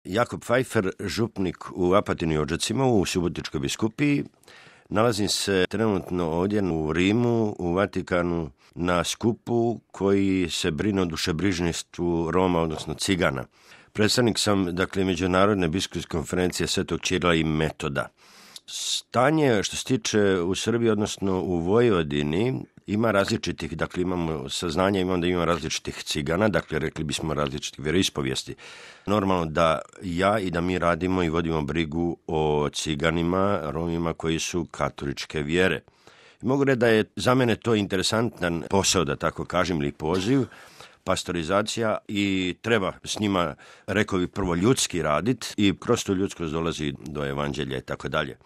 Jakob Pfeiffer, župnik u Apatinu i Odžacima u Subotičkoj biskupiji. Nalazim se trenutno ovdje u Rimu, u Vatikanu, na skupu koji se brine o dušebrižništvu Roma, odnosno Cigana. Predstavnik sam, Međunarodne biskupske konferencije Svetog Ćirila i Metoda. Stanje što se tiče u Srbiji, odnosno u Vojvodini, ima različitih, imamo saznanja, imamo da ima različitih Cigana, rekli bismo različitih vjeroispovijesti. Normalno da ja i da mi radimo i vodimo brigu o Ciganima, Romima koji su katoličke vjere. I mogu reći da je za mene to interesantan posao, da tako kažem, ili poziv, pastorizacija, i treba s njima, rekao bih, prvo ljudski raditi i kroz tu ljudskost dolazi do evanđelja i tako dalje.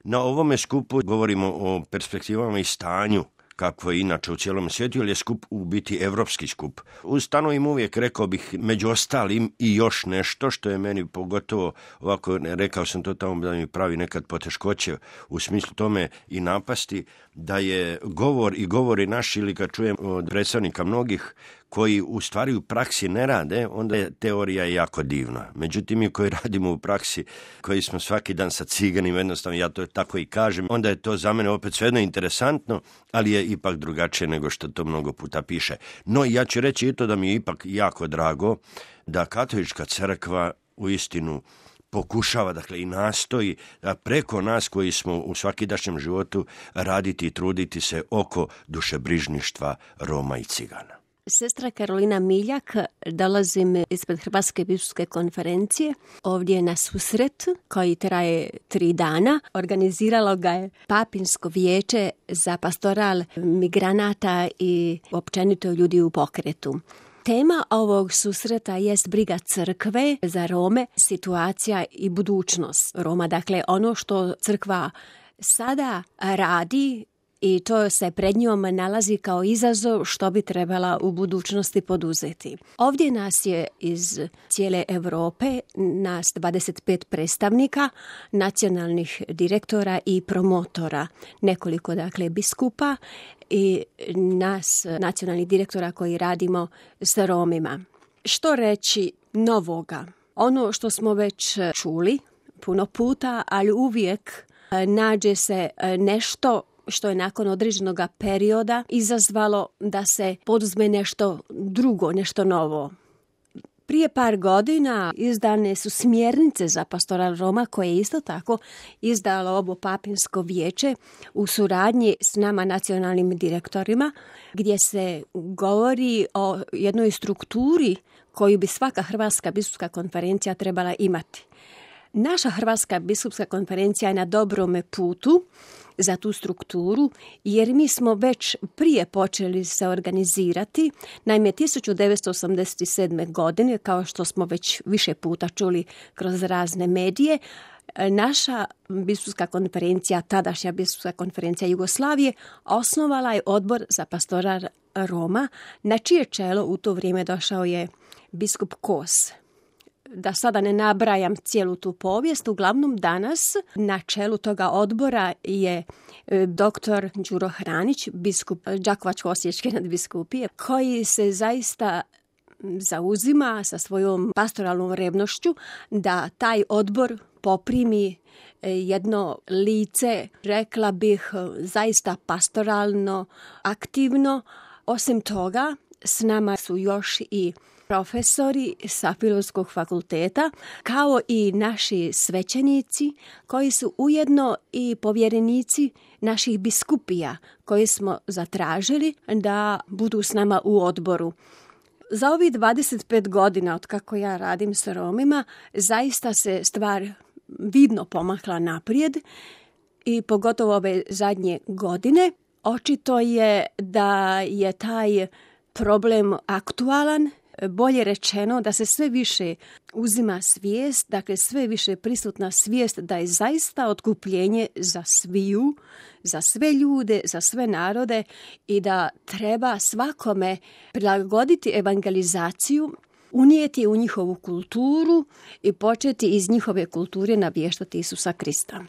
Na ovome skupu govorimo o perspektivama i stanju kako je inače u cijelom svijetu, jer je skup u biti evropski skup. Ustanovim uvijek, rekao bih, među ostalim i još nešto što je meni pogotovo ovako, rekao sam to tamo da mi pravi nekad poteškoće u smislu tome i napasti, da je govori naši, ili kad čujem od predstavnika mnogih koji u stvari u praksi ne rade, onda je teorija jako divna. Međutim, mi koji radimo u praksi, koji smo svaki dan sa Ciganima, jednostavno ja to tako i kažem, onda je to za mene opet svejedno interesantno, ali je ipak drugačije nego što to mnogo puta piše. No, ja ću reći i to da mi je ipak jako drago da katolička crkva uistinu pokušava, i nastoji da preko nas koji smo u svakidašnjem životu raditi i truditi se oko dušebrižništva Roma i Cigana. Sestra Karolina Miljak, dolazim ispred Hrvatske biskupske konferencije, ovdje na susret koji traje 3 dana. Organiziralo ga je Papinsko vijeće za pastoral migranata i općenito ljudi u pokretu. Tema ovog susreta jest briga crkve za Rome, situacija i budućnost Roma. Ono što crkva sada radi i to se pred njom nalazi kao izazov što bi trebala u budućnosti poduzeti. Ovdje nas je iz cijele Europe, nas 25 predstavnika, nacionalnih direktora i promotora, nekoliko biskupa i nas nacionalnih direktora koji radimo s Romima. Što reći novoga? Ono što smo već čuli puno puta, ali uvijek nađe se nešto što je nakon određenog perioda izazvalo da se poduzme nešto drugo, nešto novo. Prije par godina izdane su smjernice za pastoral Roma, koje je isto tako izdalo ovo Papinsko vijeće u suradnji s nama nacionalnim direktorima, gdje se govori o jednoj strukturi koju bi svaka Hrvatska biskupska konferencija trebala imati. Naša Hrvatska biskupska konferencija je na dobrome putu za tu strukturu, jer mi smo već prije počeli se organizirati. Naime, 1987. godine, kao što smo već više puta čuli kroz razne medije, naša biskupska konferencija, tadašnja biskupska konferencija Jugoslavije, osnovala je odbor za pastoral Roma, na čije čelo u to vrijeme došao je biskup Kos. Da sada ne nabrajam cijelu tu povijest, uglavnom danas na čelu toga odbora je dr. Đuro Hranić, biskup Đakovačko-osječke nadbiskupije, koji se zaista zauzima sa svojom pastoralnom revnošću da taj odbor poprimi jedno lice, rekla bih, zaista pastoralno, aktivno. Osim toga, s nama su još i profesori sa Filozofskog fakulteta, kao i naši svećenici koji su ujedno i povjerenici naših biskupija koji smo zatražili da budu s nama u odboru. Za ovih 25 godina od kako ja radim s Romima, zaista se stvar vidno pomakla naprijed i pogotovo ove zadnje godine. Očito je da je taj problem aktualan, bolje rečeno da se sve više uzima svijest, sve više prisutna svijest da je zaista otkupljenje za sviju, za sve ljude, za sve narode i da treba svakome prilagoditi evangelizaciju, unijeti u njihovu kulturu i početi iz njihove kulture navještati Isusa Krista.